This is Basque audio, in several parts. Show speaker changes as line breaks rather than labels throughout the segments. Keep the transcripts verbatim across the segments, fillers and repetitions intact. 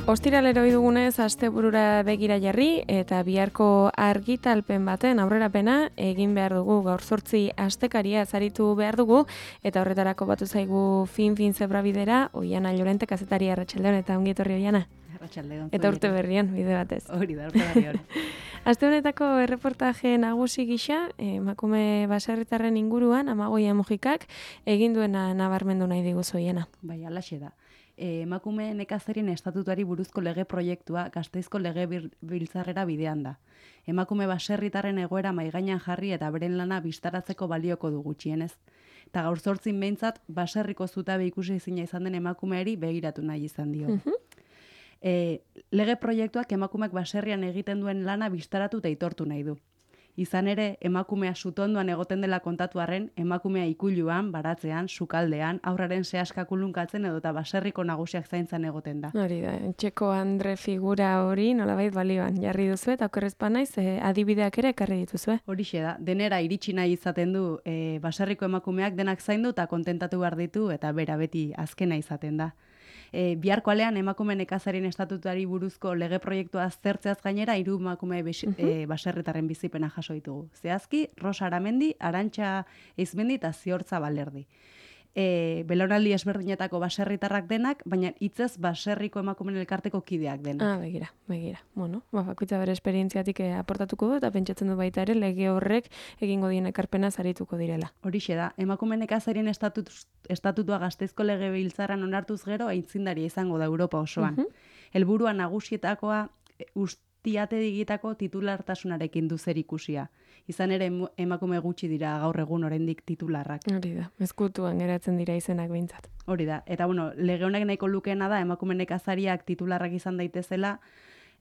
Ostiralero dugunez asteburura begira jarri eta biharko argitalpen baten aurrerapena egin behar dugu. Gaur zortzi astekaria zaritu behar dugu eta horretarako batu zaigu fin-fin zebrabidera Oiana Llorente kazetari. Arratsaldeon eta ongi etorri Oiana.
Arratsaldeon.
Eta urte berrian bide batez.
Hori da, urte berrian.
Aste honetako erreportaje nagusi gisa, emakume baserritarren inguruan Amagoia Mujikak egin duena nabarmendu nahi diguzu Oiana.
Bai, halaxe da. Emakume nekazarien estatutuari buruzko lege proiektua Gasteizko lege biltzarrera bidean da. Emakume baserritarren egoera maigainan jarri eta beren lana bistaratzeko balioko du gutxienez. Eta gaur zortzin behintzat baserriko zutabe ikusi ezina izan den emakumeari begiratu nahi izan dio.
Mhm.
E, lege proiektuak emakumeak baserrian egiten duen lana bistaratu eta aitortu nahi du. Izan ere, emakumea sutondoan egoten dela kontatu arren, emakumea ikuluan, baratzean, sukaldean, aurraren sehaska kulunkatzen edo eta baserriko nagusiak zaintzan egoten da.
Hori da, Txeko Andre figura hori nolabait balioan jarri duzu eta okerrezpa naiz eh, adibideak ere ekarri dituzue.
Horixe da, denera iritsi nahi izaten du e, baserriko emakumeak denak zaindu eta kontentatu behar ditu eta bera beti azkena izaten da. E, biharko alean emakume nekazarien estatutuari buruzko lege proiektua aztertzeaz gainera hiru emakume besi, e, baserritarren bizipena jaso ditugu. Zehazki, Rosa Aramendi, Arantxa Eizmendi eta Ziortza Balerdi. E, belaunaldi ezberdinetako baserritarrak denak, baina hitzez baserriko emakumeen elkarteko kideak denak.
Ah, begira, begira. Bueno, ba, bakoitza bere esperientziatik eh, aportatuko du eta pentsatzen du baita ere lege horrek egingo dien ekarpena zarituko direla.
Horixe da, emakume nekazarien estatut, estatutua Gasteizko legebiltzarran onartuz gero aitzindaria izango da Europa osoan. Helburua nagusietakoa ustiate digitako titulartasunarekin du zerikusia. Izan ere emakume gutxi dira gaur egun oraindik titularrak.
Hori da, ezkutuan geratzen dira izenak behintzat.
Hori da, eta bueno, lege honek nahiko lukeena da emakume nekazariak titularrak izan daitezela,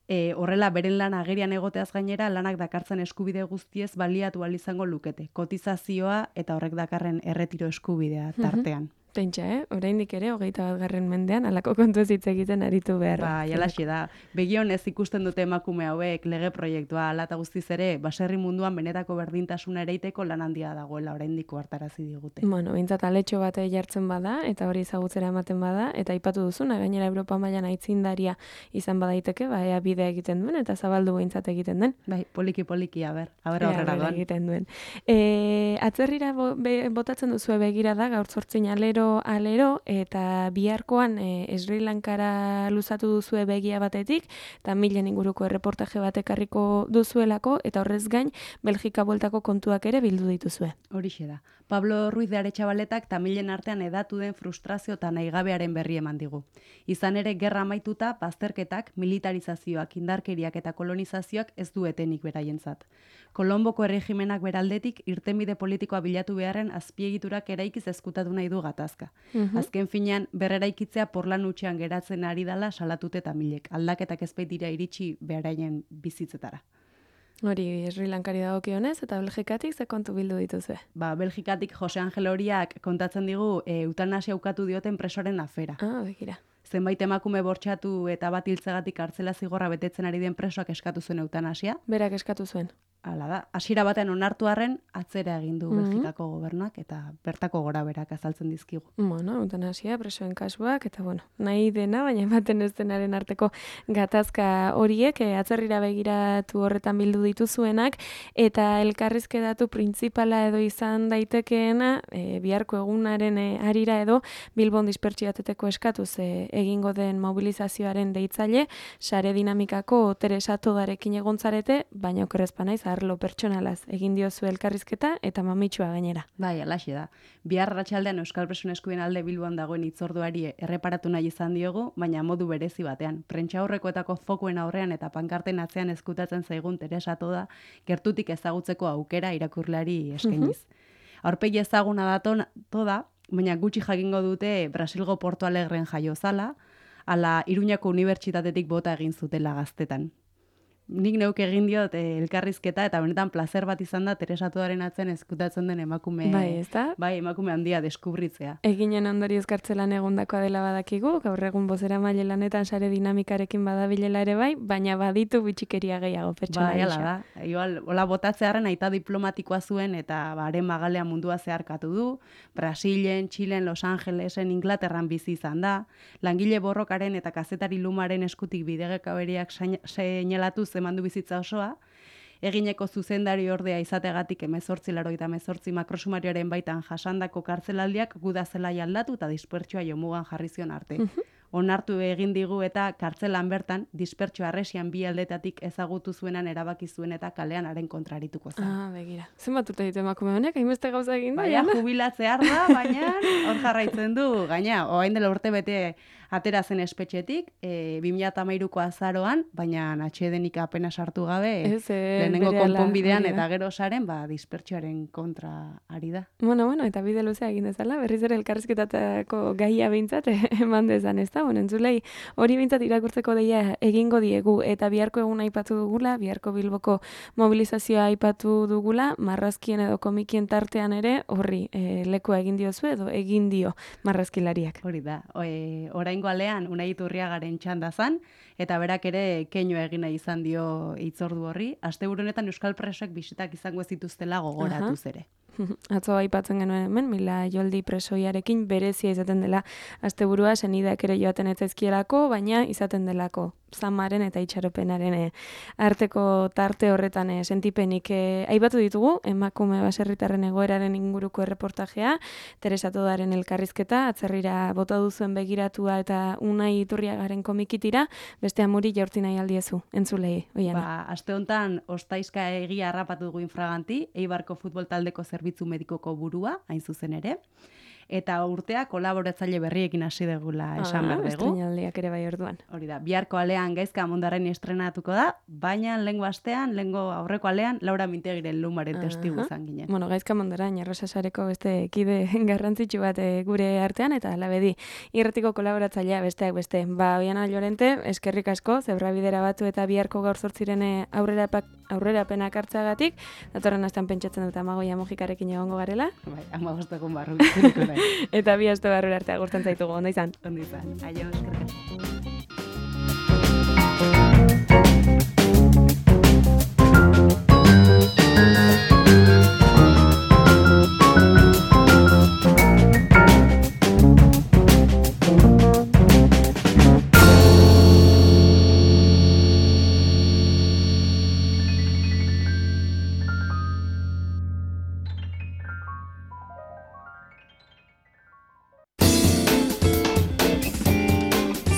e, horrela beren lan agerian egoteaz gainera lanak dakartzen eskubide guztiez baliatu ahal izango lukete. Kotizazioa eta horrek dakarren erretiro eskubidea tartean.
Pentsa, eh? Oraindik ere, hogeita bat garren mendean, alako kontu ez hitz egiten aritu behar.
Ba, jalaxe da. Begionez ikusten dute emakume hauek lege proiektua, ala eta guztiz ere, baserri munduan benetako berdintasuna ereiteko lan handia dagoela oraindik hartarazi digute.
Bueno, behintzat aletxo bate jartzen bada, eta hori ezagutzera ematen bada, eta aipatu duzuna, gainera Europa mailan aitzindaria izan badaiteke, ba, ea bidea egiten duen, eta zabaldu behintzat egiten den.
Bai, poliki-poliki, aber, aber aurrera doan.
egiten duen. E, atzerrira bo, be, botatzen duzue begira da, gaur zortzin alero alero eta biharkoan e, Sri Lankara luzatu duzue begia batetik eta milen inguruko erreportaje bat ekarriko duzuelako eta horrez gain Belgika bueltako kontuak ere bildu dituzue.
Horixe da. Pablo Ruiz de Aretxabaletak tamilen artean edatu den frustrazio eta nahigabearen berri eman digu. Izan ere gerra amaituta bazterketak, militarizazioak, indarkeriak eta kolonizazioak ez duetenik beraientzat. Kolomboko erregimenak beraldetik irtenbide politikoa bilatu beharren azpiegiturak eraikiz ezkutatu nahi du gatazka. Azken finean, berreraikitzea porlan utxean geratzen ari dala salatute tamilek. Aldaketak ez baitira iritsi beraien bizitzetara.
Hori Sri Lankari dagokionez eta Belgikatik ze kontu bildu dituzue?
Ba, Belgikatik Jose Angel Horiak kontatzen digu e, eutanasia ukatu dioten presoren afera.
Ah, begira.
Zenbait emakume bortxatu eta bat hiltzegatik kartzela zigorra betetzen ari den presoak eskatu zuen eutanasia.
Berak eskatu zuen.
Hala da, hasiera batean onartu arren atzera egin du Belgikako gobernuak eta bertako goraberak azaltzen dizkigu.
Bueno, eutanasia, presoen kasuak, eta bueno, nahi dena, baina ematen ez denaren arteko gatazka horiek, e, atzerrira begiratu horretan bildu dituzuenak, eta elkarrizketatu printzipala edo izan daitekeena, e, biharko egunaren e, arira edo Bilbon dispertsiateteko eskatuz e, egingo den mobilizazioaren deitzaile, sare dinamikako Teresa Todarekin egontzarete, baina okerrezpa naiz, arlo pertsonalaz egin diozu elkarrizketa eta mamitxua gainera.
Bai, alaxe da. Bihar arratsaldean Euskal Presoen Eskubideen alde Bilboan dagoen hitzorduari erreparatu nahi izan diogu, baina modu berezi batean. Prentsaurrekoetako fokuen aurrean eta pankarten atzean ezkutatzen zaigun Teresa Toda gertutik ezagutzeko aukera irakurleari eskainiz. Aurpegi ezaguna da Toda, baina gutxi jakingo dute Brasilgo Porto Alegren jaio zala, ala Iruñako Unibertsitatetik bota egin zutela gaztetan. nik neuk egin diot eh, elkarrizketa, eta benetan placer bat izan da Teresatuaren atzen ezkutatzen den emakume,
Bai, ezta?
bai, emakume handia deskubritzea.
Eginen ondorioz kartzelan egondakoa dela badakigu, gaur egun bozera maile lanetan sare dinamikarekin badabilela ere bai, baina baditu bitxikeria gehiago pertsona
Bai,
gisa.
ala da. Igual, hola botatzearen aita diplomatikoa zuen eta baren magalea mundua zeharkatu du. Brasilen, Txilen, Los Angelesen, Inglaterran bizi izan da. Langile borrokaren eta kazetari lumaren eskutik bidegekaberiak seinalatu zemandu bizitza osoa. Egineko zuzendari ordea izategatik emezortzi laroita emezortzi makrosumarioaren baitan jasandako kartzelaldiak guda zelai aldatu eta dispertsioa jomugan jarri zion arte. Onartu egin digu eta kartzelan bertan dispertsio arresian bi aldetatik ezagutu zuenan erabaki zuen eta kalean haren kontrarituko zen.
Ah, begira. Zenbat urte ditu emakume honek, hainbeste gauza egin da?
Baina jubilatzear da, baina hor jarraitzen du. Gaina, orain dela urte bete atera zen espetxetik, e, bi mila hamairuko azaroan, baina atsedenik apena sartu gabe,
Ez, eh,
lehenengo
berehala,
konponbidean
hori da.
eta gero saren, ba, dispertsioaren kontra ari da.
Bueno, bueno, eta bide luzea egin dezala, berriz ere elkarrizketatako gaia behintzat eman dezan, ez da? Bueno, entzulei, hori behintzat irakurtzeko deia egingo diegu, eta biharko egun aipatu dugula, biharko Bilboko mobilizazioa aipatu dugula, marrazkien edo komikien tartean ere, horri, e, lekua egin diozu edo egin dio marrazkilariak.
Hori da, e, oraingo alean Unai Iturriagaren txanda zan, eta berak ere keinu egin nahi izan dio hitzordu horri. Asteburu honetan Euskal Presoek bisitak izango ez dituztela gogoratuz ere.
Atzo aipatzen genuen hemen, Mila Joldi presoiarekin berezia izaten dela asteburua, senideak ere joaten ez zaizkielako, baina izaten delako zamaren eta itxaropenaren eh, arteko tarte horretan eh, sentipenik eh, aipatu ditugu, emakume baserritarren egoeraren inguruko erreportajea, Teresa Todaren elkarrizketa, atzerrira bota duzuen begiratua eta Unai Iturriagaren komikitira, beste amuri jaurti nahi aldiezu, entzulei, oiana.
Ba, aste honetan ostaizka egia harrapatu dugu infraganti, Eibarko futbol taldeko zerbitzu medikoko burua, hain zuzen ere, eta urtea kolaboratzaile berriekin hasi degula esan
Ah,
behar dugu.
estreinaldiak ere bai orduan.
Hori da, biharko alean Gaizka Mondarren estrenatuko da, baina lehengo astean, lehengo aurreko alean, Laura Mintegiren lumaren testigu izan ginen.
Bueno, Gaizka Mondarain Arrosasareko beste kide garrantzitsu bat eh, gure artean, eta labedi irratiko kolaboratzailea besteak beste. Ba, Oiana Llorente, eskerrik asko, zebrabidera batu eta biharko gaur zortziren aurrera aurrerapenak hartzagatik, datorren astean pentsatzen dut Amagoia Mojikarekin egongo garela.
Bai, ama bostekun barru bizituko nahi.
Eta bi aste barrura arte agurtzen zaitugu, ondo izan.
Ondo izan. Aio, eskerrik asko.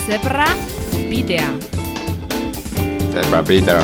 Zebra bidea.
Zebra bidea.